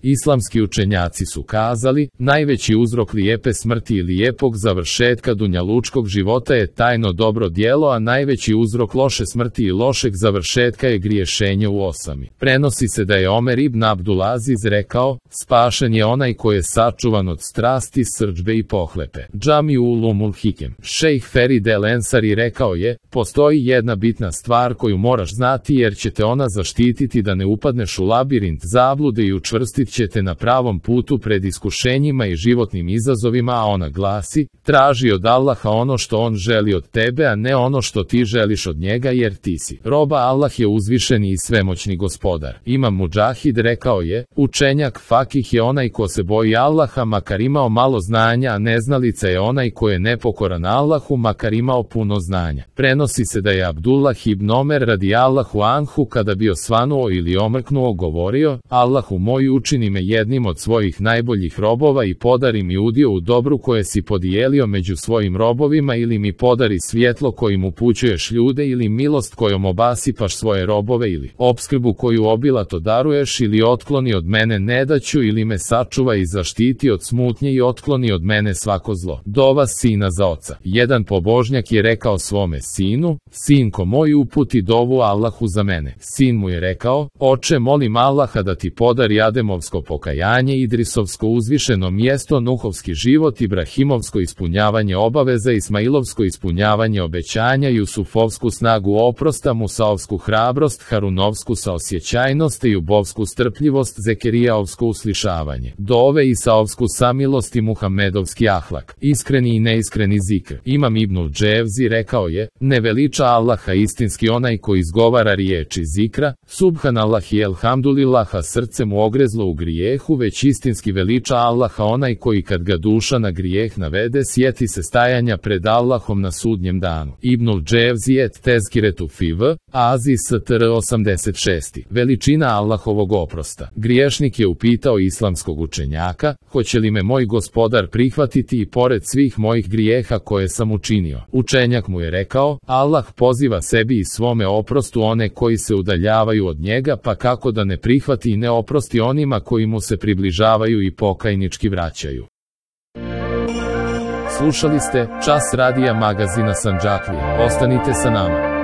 Islamski učenjaci su kazali, najveći uzrok lijepe smrti i lijepog završetka dunjalučkog života je tajno dobro djelo, a najveći uzrok loše smrti i lošeg završetka je griješenje u osami. Prenosi se da je Omer ibn Abdulaziz rekao, spašen je onaj koji je sačuvan od strasti, srdžbe i pohlepe. Džami ulumul hikem. Šejh Ferid el Ensari rekao je, postoji jedna bitna stvar koju moraš znati jer će te ona zaštititi da ne upadneš u labirint zablude i učvrstit će te na pravom putu pred iskušenjima i životnim izazovima, a ona glasi, traži od Allaha ono što on želi od tebe, a ne ono što ti želiš od njega, jer ti si roba, Allah je uzvišeni i svemoćni gospodar. Imam Mudžahid rekao je, učenjak fakih je onaj ko se boji Allaha makar imao malo znanja, a neznalica je onaj ko je nepokoran Allahu makar imao puno znanja. Prenosi se da je Abdullah ibn Omer radijallahu anhu kada bio svanuo ili omrknuo govorio, Allahu moj, učini me jednim od svojih najboljih robova i podari mi udio u dobru koje si podijelio među svojim robovima, ili mi podari svjetlo kojim upućuješ ljude, ili milost kojom obasipaš svoje robove, ili opskrbu koju obilato daruješ, ili otkloni od mene nedaću, ili me sačuva i zaštiti od smutnje i otkloni od mene svako zlo. Dova sina za oca. Jedan pobožnjak je rekao svome sinu, sinko moj, uputi dovu Allahu za mene. Sin mu je rekao, oče, molim Allaha da ti podari Ademovsko pokajanje, Idrisovsko uzvišeno mjesto, Nuhovski život, Ibrahimovsko ispunjavanje obaveza, Ismailovsko ispunjavanje obećanja, Jusufovsku snagu oprosta, Musaovsku hrabrost, Harunovsku saosjećajnost i Jubovsku strpljivost, Zekerijaovsko uslišavanje, dove Isaovsku samilost i Muhamedovski ahlak, iskreni i neiskreni zikr. Imam Ibnul Dževzi rekao je, ne veliča Allaha istinski onaj ko izgovara riječi zikra, subhanallah i elhamdulillaha srce mu ogrezlo u grijehu, već istinski veliča Allaha onaj koji kad ga duša na grijeh navede sjeti se stajanja pred Allahom na sudnjem danu. Ibnul Dževzi et tezkiretu fiv, Azi str 86. Veličina Allahovog oprosta. Griješnik je upitao islamskog učenjaka, hoće li me moj gospodar prihvatiti i pored svih mojih grijeha koje sam učinio. Učenjak mu je rekao, Allah poziva sebi i svome oprostu one koji se udaljavaju od njega, pa kako da ne prihvati i ne oprosti onima koji mu se približavaju i pokajnički vraćaju. Slušali ste Čas radija magazina Sandžaklija. Ostanite sa nama.